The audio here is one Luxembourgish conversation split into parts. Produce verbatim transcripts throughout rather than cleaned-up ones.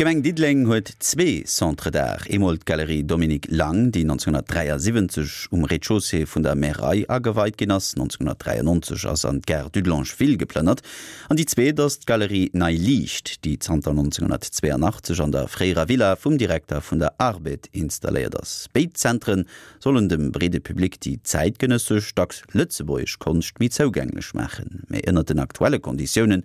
D'Gemeng Diddeleng huet zwee Centres d'art, eemol d'Galerie Dominique Lang, déi nonzénghunnertdräiasiwwenzeg um Rez-de-chaussée vun der Märei ageweit ginn ass, nonzénghunnertdräiannonzeg ass an d'Gare Dudelange-Ville geplënnert, an déi zweet ass d'Galerie Nei Liicht, déi zanter nonzénghunnertzweeanachtzeg an der fréierer Villa vum Direkter vun der Arbed installéiert ass. Béid Zentre sollen dem breede Public déi zäitgenëssesch, dacks lëtzebuergesch Konscht méi zougänglech maachen. Mee ënnert den aktuelle Konditiounen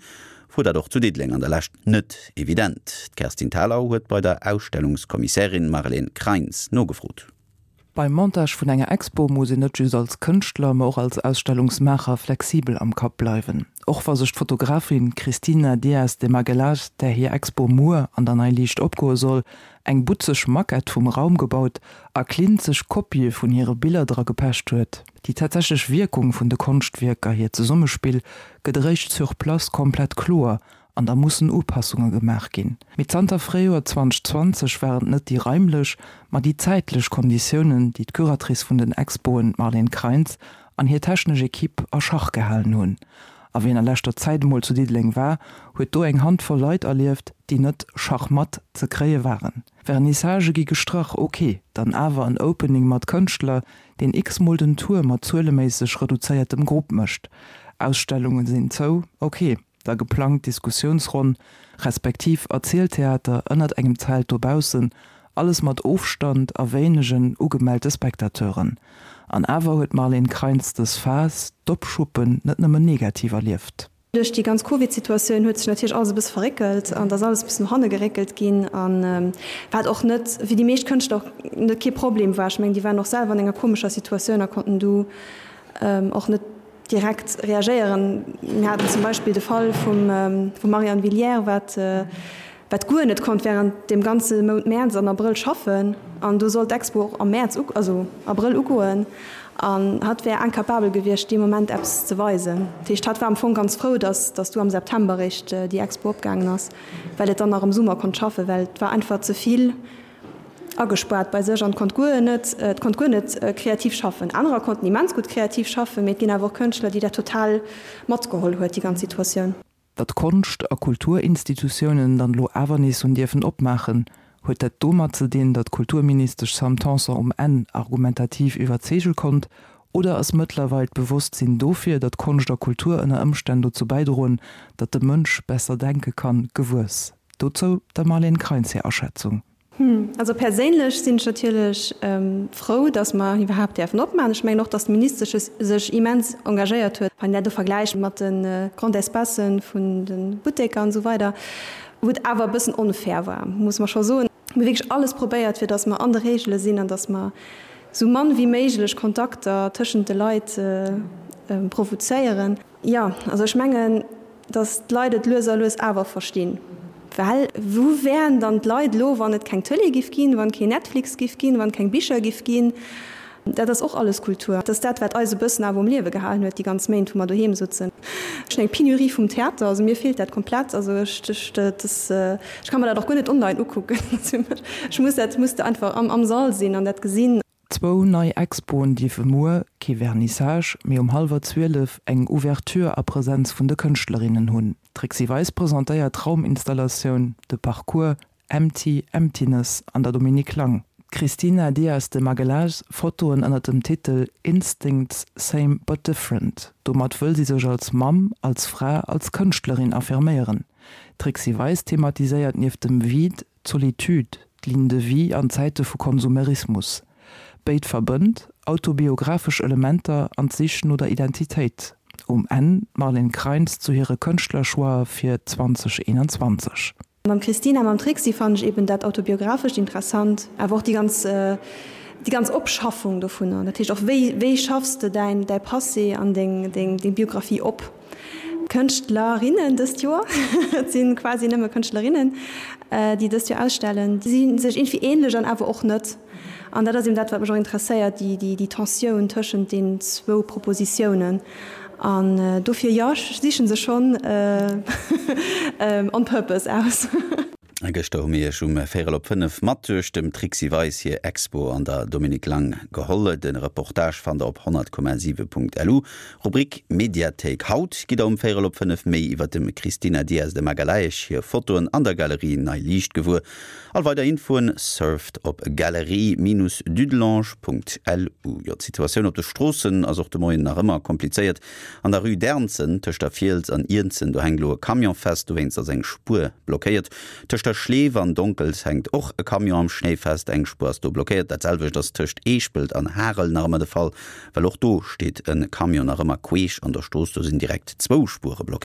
wor dat och zu Diddeleng an der Lescht net evident. D'Kerstin Thalau huet bei der Ausstellungskommissärin Marlène Kreins nogefrot. Beim Montage vun enger Expo muss een net just als Kënschtler, ma och als Ausstellungsmaacher flexibel am Kapp bleiwen. Och wa sech d'Fotografin Cristina Dias de Magalhães, där hir Expo muer an der Nei Liicht opgoe soll, eng butzeg Maquette vum Raum gebaut a klinzeg Kopië vun hire Biller dra gepecht huet. Déi tatsächlech Wierkung vun de Konschtwierker, hiert Zesummespill, gëtt eréischt sur place komplett kloer an da mussen Upassunge gemaach ginn. Mee zanter Fréijoer zweitausendzwanzeg waren et net déi raimlech, ma déi zäitlech Konditiounen, déi d'Curatrice vun den Expoen, d'Marlène Kreins, an hir technesch Ekipp a Schach gehalen hunn. A wien a leschter Zäit emol zu Diddeleng war, huet do eng Handvoll Leit erlieft, déi net schachmatt ze kréie waren. Vernissagë gi gestrach, ok, dann awer en Opening mat Kënschtler, deen x-mol den Tour mat zueleméisseg reduzéiertem Grupp mécht. Ausstellunge sinn zou, ok, da geplangt Diskussiounsronn, respektiv Erzieltheater ënnert engem Zelt dobaussen, alles mat Ofstand a wéinegen ugemellte Spectateuren. An awer huet d'Marlène Kreins dës Phas, d'Opschuppen, net nëmmen negativ erlieft. Duerch déi ganz Covid-Situatioun huet sech natierlech alles e bësse verréckelt an et ass alles e bëssen no hanne geréckelt ginn an wat och net fir déi meescht Kënschtler och net kee Problem war. Ech mengen, déi waren och selwer an enger komescher Situatioun a konnten du och net direkt reagéieren. Mir haten zum Beispill de Fall vum vum Marianne Villière, wat wat guer net konnt während deem ganze Mount Mäerz an Abrëll schaffen an do sollt d'Expo och am Mäerz, also Abrëll ugoen an hatt wär incapabel gewiescht dee Moment eppes ze weisen. Dat heescht, hatt war am Fong ganz frou, datt datt du am September eréischt déi Expo opgaangen ass, well et dann nach am Summer konnt schaffen, well et war einfach ze vill agespaart bei sech an konnt guer net, et konnt guer net kreativ schaffen. Anerer konnten immens gutt kreativ schaffen, mee et ginn awer och Kënschtler, déi dat total matgeholl huet, déi ganz Situatioun. Datt Konscht a Kulturinstitutiounen dann elo awer nees hunn dierfen opmaachen, huet dat domat ze dinn, datt d'Kulturministesch Sam Tanson um Enn argumentativ iwwerzeege konnt, oder ass mëttlerweil d'Bewosstsinn dofir, datt Konscht a Kultur ënner Ëmstänn dozou bäidroen, datt de Mënsch besser denke kann, gewuess? Dozou der Marlène Kreins hir Aschätzung. Also perséinlech sinn ech natierlech frou, datt mer iwwerhaapt däerfen opmaachen. Ech mengen och, datt d'Ministesche sech immens engagéiert huet, wann een dat elo vergläicht mat de Grands Espacen vun de Butteker an esou weider, wou et awer e bëssen onfair war, muss mer scho soen. Mir hu wierklech alles probéiert, fir datt mer an de Regele sinn an datt mer esou mann wéi méiglech Kontakter tëschent de Leit provozéieren. Jo, also ech mengen, datt d'Leit et lues a lues awer verstinn. Well wou wären dann d'Leit elo, wann et keng Tëlee giff ginn, wann keen Netflix giff ginn, wann keng Bicher giff ginn? Dat ass och alles Kultur. Dat ass dat, wat eis e bëssen awer um Liewe gehalen huet, déi ganz Méint, wou mer doheem sutzen. Ech hunn eng Penurie vum Theater, also mir feelt dat komplett. Also ech, ech, dat ass, ech ka mer dat och guer net online ukucken. Ech muss dat, muss einfach am, am Sall sinn an dat gesinn. Zwou nei Expoen dierfe muer, kee Vernissage, mee um hallwer zwielef eng Ouverture a Presenz vun de Kënschtlerinnen hunn. D'Trixi Weis presentéiert d'Rauminstallatioun De Parcours Empty Emptiness an der Dominique Lang. D'Cristina Dias de Magalhães Fotoen ënner dem Titel Instincts Same but Different. Domat wëll si sech als Mamm, als Fra, als Kënschtlerin affirméieren. D'Trixi Weis thematiséiert nieft dem Vide d'Solitude, d'Ligne de vie an Zäite vu Konsumerismus. Béid verbënnt, autobiographesch Elementer an d'Sich no der Identitéit. Um Enn d'Marlène Kreins zu hire Kënschtlerchoixë fir zwanzeg eenanzwanzeg Mam Christine a mam Trixi fannen ech eben dat Autobiographescht interessant, awer och déi ganz, déi ganz Opschaffung dovunner. Dat heescht och, wéi, wéi schaffs de däin, däi Passé an deng, deng, deng Biographie op? Kënschtlerinnen dëst Joer, et si quasi nëmme Kënschtlerinnen, déi dëst Joer ausstellen, si sech iergendwéi änlech an awer och net. An dat ass eben dat, wat mech och interesséiert, déi, déi, déi Tensioun tëschent deenen zwou Propositiounen. An dofir, jo, ech siche se schonn on purpose aus. Gëschter hu mir iech um véierel op fënnef mat duerch dem Trixi Weis hir Expo an der Dominique Lang geholl. De Reportage fannt der op honnert Komma siwe Punkt lu, Rubrik Mediathéik. Haut gitt der um véierel op fënnef méi iwwer dem Cristina Dias de Magalhaes hir Fotoen an der Galerie Nei Liicht gewuer. All weider Infoen surft op galerie-dudelange.lu. Jo, d'Situatioun op de Stroossen ass och de Moien nach ëmmer komplizéiert. An der Rue d'Ernzen tëscht der Fiels an Iernzen, do hänkt elo e Camion fest, dowéinst ass eng Spuer blockéiert. Tëscht der Schleef an Donkels hänkt och e Camion am Schnéi fest, eng Spuer ass do blockéiert. Dat selwecht ass tëscht Eeschpelt an Harel nach ëmmer de Fall, well och do steet e Camion nach ëmmer queesch an der Strooss, do sinn direkt zwou Spuere blockéiert.